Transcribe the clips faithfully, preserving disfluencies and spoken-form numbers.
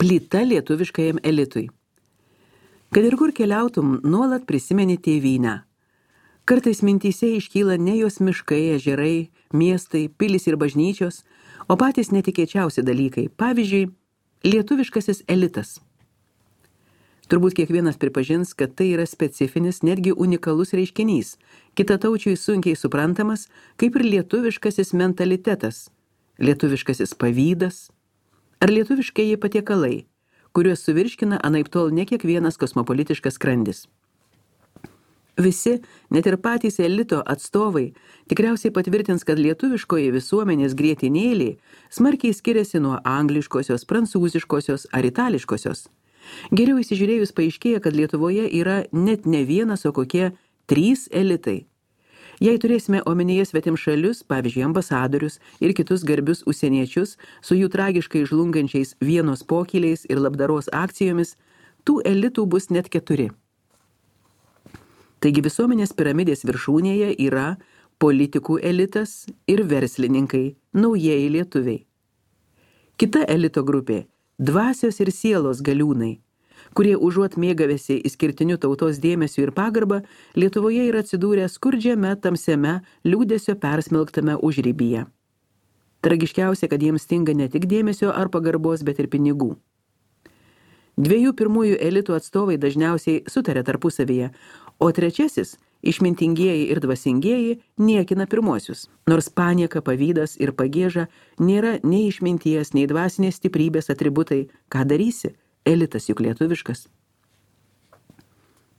Plyta lietuviškajam elitui. Kad ir kur keliautum, nuolat prisimeni tėvynę. Kartais mintyse iškyla ne jos miškai, ežerai, miestai, pilis ir bažnyčios, o patys netikėčiausi dalykai. Pavyzdžiui, lietuviškasis elitas. Turbūt kiekvienas pripažins, kad tai yra specifinis, netgi unikalus reiškinys, kitataučiui sunkiai suprantamas, kaip ir lietuviškasis mentalitetas, lietuviškasis pavydas ar lietuviškieji patiekalai, kuriuos suvirškina anaiptol ne kiekvienas kosmopolitiškas skrandis. Visi, net ir patys elito atstovai, tikriausiai patvirtins, kad lietuviškoji visuomenės grietinėlė smarkiai skiriasi nuo angliškosios, prancūziškosios ar itališkosios. Geriau įsižiūrėjus paaiškėja, kad Lietuvoje yra net ne vienas, o kokie trys elitai. Jei turėsime omenyje svetimšalius, pavyzdžiui, ambasadorius ir kitus garbius užsieniečius su jų tragiškai žlungančiais vienos pokyliais ir labdaros akcijomis, tų elitų bus net keturi. Taigi visuomenės piramidės viršūnėje yra politikų elitas ir verslininkai, naujieji lietuviai. Kita elito grupė – dvasios ir sielos galiūnai, kurie užuot mėgavėsi išskirtiniu tautos dėmesiu ir pagarbą, Lietuvoje yra atsidūrę skurdžiame, tamsiame, liūdesio persmelktame užrybyje. Tragiškiausia, kad jiems stinga ne tik dėmesio ar pagarbos, bet ir pinigų. Dviejų pirmųjų elitų atstovai dažniausiai sutarė tarpusavyje, o trečiasis, išmintingieji ir dvasingieji, niekina pirmosius. Nors panieka, pavydas ir pagieža nėra nei išminties, nei dvasinės stiprybės atributai, ką darysi, elitas juk lietuviškas.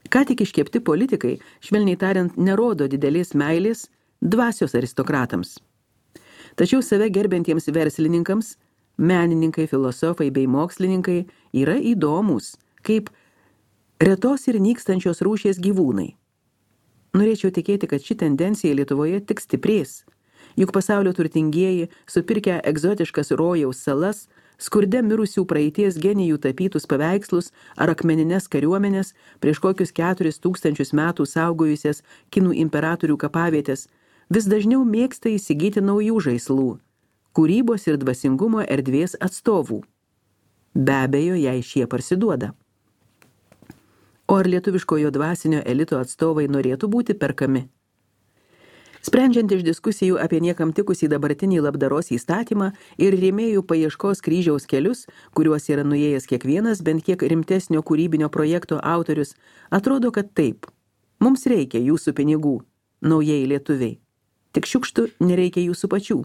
Ką tik iškepti politikai, švelniai tariant, nerodo didelės meilės dvasios aristokratams. Tačiau save gerbiantiems verslininkams, menininkai, filosofai bei mokslininkai yra įdomūs, kaip retos ir nykstančios rūšies gyvūnai. Norėčiau tikėti, kad ši tendencija Lietuvoje tik stiprės, juk pasaulio turtingieji, supirkę egzotiškas rojaus salas, skurde mirusių praeities genijų tapytus paveikslus ar akmenines kariuomenės prieš kokius keturis tūkstančius metų saugojusias kinų imperatorių kapavietės, vis dažniau mėgsta įsigyti naujų žaislų, kūrybos ir dvasingumo erdvės atstovų. Be abejo, jei šie parsiduoda. O ar lietuviškojo dvasinio elito atstovai norėtų būti perkami? Sprendžiant iš diskusijų apie niekam tikusį dabartinį labdaros įstatymą ir rėmėjų paieškos kryžiaus kelius, kuriuos yra nuėjęs kiekvienas bent kiek rimtesnio kūrybinio projekto autorius, atrodo, kad taip. Mums reikia jūsų pinigų, naujieji lietuviai. Tik šiukštų nereikia jūsų pačių.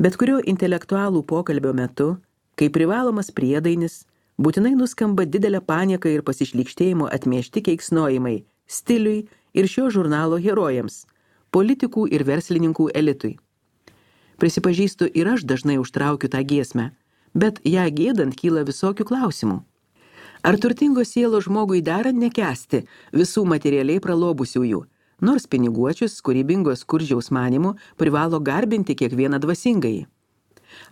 Bet kurio intelektualų pokalbio metu, kai privalomas priedainis, būtinai nuskamba didelė panieka ir pasišlykštėjimo atmiešti keiksnojimai stiliui ir šio žurnalo herojams, politikų ir verslininkų elitui. Prisipažįstu, ir aš dažnai užtraukiu tą giesmę, bet ją gėdant kyla visokių klausimų. Ar turtingos sielos žmogui dera nekęsti visų materialiai pralobusiųjų, nors piniguočius, kūrybingos skurdžiaus manimu, privalo garbinti kiekvieną dvasingąjį?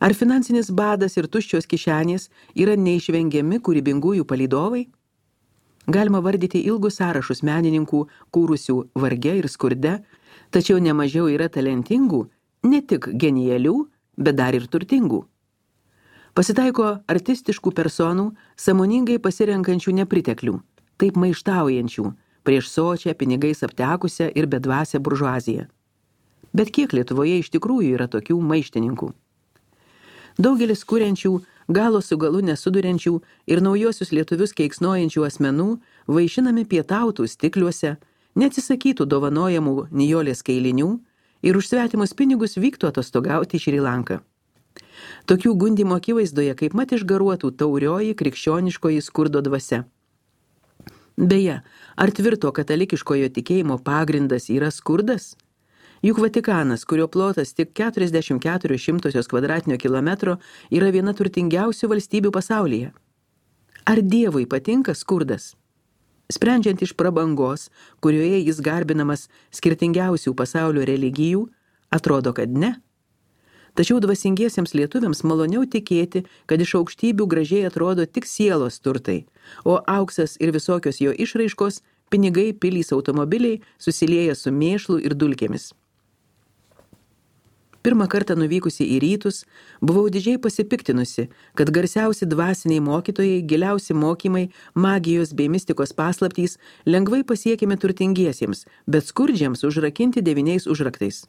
Ar finansinis badas ir tuščios kišenės yra neišvengiami kūrybingųjų palydovai? Galima vardyti ilgus sąrašus menininkų, kūrusių varge ir skurde, tačiau nemažiau yra talentingų, ne tik genialių, bet dar ir turtingų. Pasitaiko artistiškų personų, sąmoningai pasirenkančių nepriteklių, taip maištaujančių, prieš sočią, pinigais aptekusią ir bedvasę buržuaziją. Bet kiek Lietuvoje iš tikrųjų yra tokių maištininkų? Daugelis kuriančių, galo su galu nesuduriančių ir naujosius lietuvius keiksnojančių asmenų vaišinami pietautų stikliuose, neatsisakytų dovanojamų nijolės kailinių ir už svetimus pinigus vyktų atostogauti į Šri Lanką. Tokių gundymo akivaizdoje kaip mat išgaruotų taurioji krikščioniškoji skurdo dvasia. Beje, ar tvirto katalikiškojo tikėjimo pagrindas yra skurdas? Juk Vatikanas, kurio plotas tik keturiasdešimt keturios šimtosios kvadratinio kilometro, yra viena turtingiausių valstybių pasaulyje. Ar Dievui patinka skurdas? Sprendžiant iš prabangos, kurioje jis garbinamas skirtingiausių pasaulio religijų, atrodo, kad ne. Tačiau dvasingiesiems lietuviams maloniau tikėti, kad iš aukštybių gražiai atrodo tik sielos turtai, o auksas ir visokios jo išraiškos, pinigai, pilys, automobiliai susilieja su mėšlu ir dulkėmis. Pirmą kartą nuvykusi į rytus, buvau didžiai pasipiktinusi, kad garsiausi dvasiniai mokytojai, giliausi mokymai, magijos bei mistikos paslaptys lengvai pasiekiami turtingiesiems, bet skurdžiams užrakinti devyniais užraktais.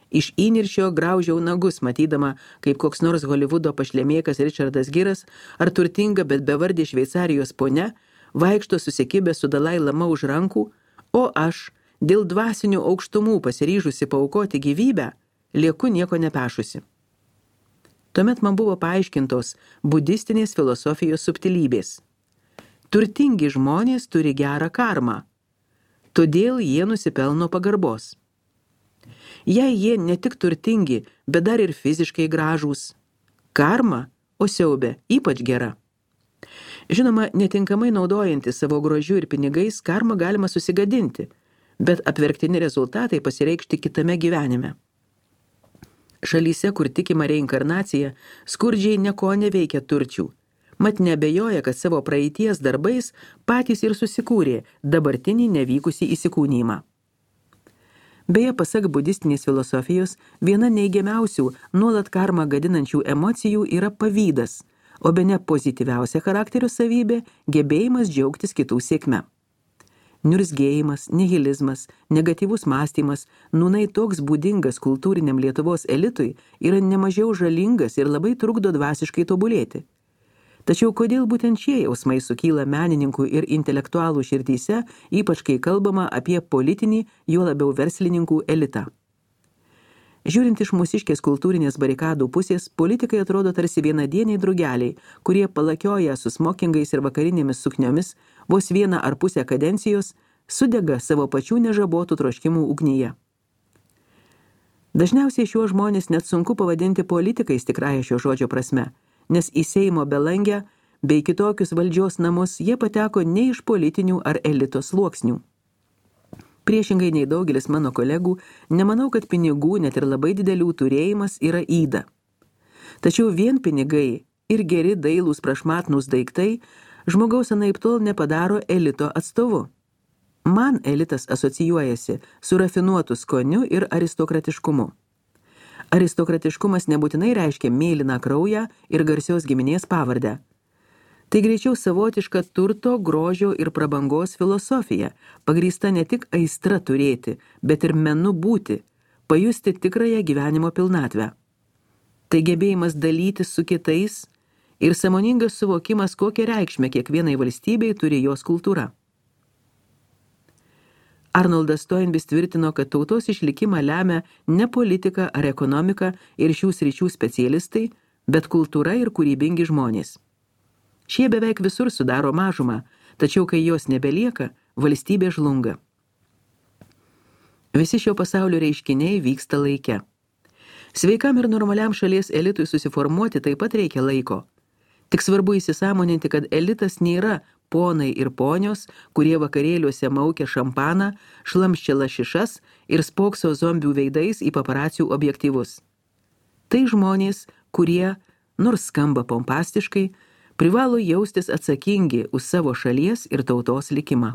Iš įniršio graužiau nagus, matydama, kaip koks nors Holivudo pašlemėkas Richardas Giras ar turtinga, bet bevardė Šveicarijos ponia vaikšto susikibę su Dalai Lama už rankų, o aš, dėl dvasinių aukštumų pasiryžusi paaukoti gyvybę, lieku nieko nepešusi. Tuomet man buvo paaiškintos budistinės filosofijos subtilybės. Turtingi žmonės turi gerą karmą, todėl jie nusipelno pagarbos. Jei jie ne tik turtingi, bet dar ir fiziškai gražūs, karma, o siaubė, ypač gera. Žinoma, netinkamai naudojantis savo grožiu ir pinigais, karmą galima susigadinti, bet apverktini rezultatai pasireikšti kitame gyvenime. Šalyse, kur tikima reinkarnacija, skurdžiai nieko neveikia turčių. Mat nebejoja, kad savo praeities darbais patys ir susikūrė dabartinį nevykusį įsikūnymą. Beje, pasak budistinės filosofijos, viena neigiamiausių nuolat karmą gadinančių emocijų yra pavydas, o bene pozityviausia charakterio savybė – gebėjimas džiaugtis kitų sėkme. Niurzgėjimas, nihilizmas, negatyvus mąstymas, nūnai toks būdingas kultūriniam Lietuvos elitui, yra nemažiau žalingas ir labai trukdo dvasiškai tobulėti. Tačiau kodėl būtent šie jausmai sukyla menininkų ir intelektualų širdyse, ypač kai kalbama apie politinį, juo labiau verslininkų elitą? Žiūrint iš mūsiškės kultūrinės barikadų pusės, politikai atrodo tarsi vienadieniai drugeliai, kurie palakioja su smokingais ir vakarinėmis sukniomis, vos vieną ar pusę kadencijos, sudega savo pačių nežabotų troškimų ugnyje. Dažniausiai šiuos žmonės net sunku pavadinti politikais tikrąja šio žodžio prasme, nes į Seimo belangę bei kitokius valdžios namus jie pateko ne iš politinių ar elito sluoksnių. Priešingai nei daugelis mano kolegų, nemanau, kad pinigų, net ir labai didelių turėjimas yra yda. Tačiau vien pinigai ir geri dailūs prašmatnūs daiktai žmogaus anaiptol nepadaro elito atstovu. Man elitas asocijuojasi su rafinuotu skoniu ir aristokratiškumu. Aristokratiškumas nebūtinai reiškia mėlyną kraują ir garsios giminės pavardę. Tai greičiau savotiška turto, grožio ir prabangos filosofija, pagrįsta ne tik aistra turėti, bet ir menu būti, pajusti tikrąją gyvenimo pilnatvę. Tai gebėjimas dalytis su kitais ir sąmoningas suvokimas, kokią reikšmę kiekvienai valstybei turi jos kultūra. Arnoldas Toynbee tvirtino, kad tautos išlikimą lemia ne politika ar ekonomika ir šių sričių specialistai, bet kultūra ir kūrybingi žmonės. Šie beveik visur sudaro mažumą, tačiau kai jos nebelieka, valstybė žlunga. Visi šio pasaulio reiškiniai vyksta laike. Sveikam ir normaliam šalies elitui susiformuoti taip pat reikia laiko. Tik svarbu įsisąmoninti, kad elitas nėra ponai ir ponios, kurie vakarėliuose maukia šampaną, šlamščia lašišas ir spokso zombių veidais į paparacių objektyvus. Tai žmonės, kurie, nors skamba pompastiškai, privalo jaustis atsakingi už savo šalies ir tautos likimą.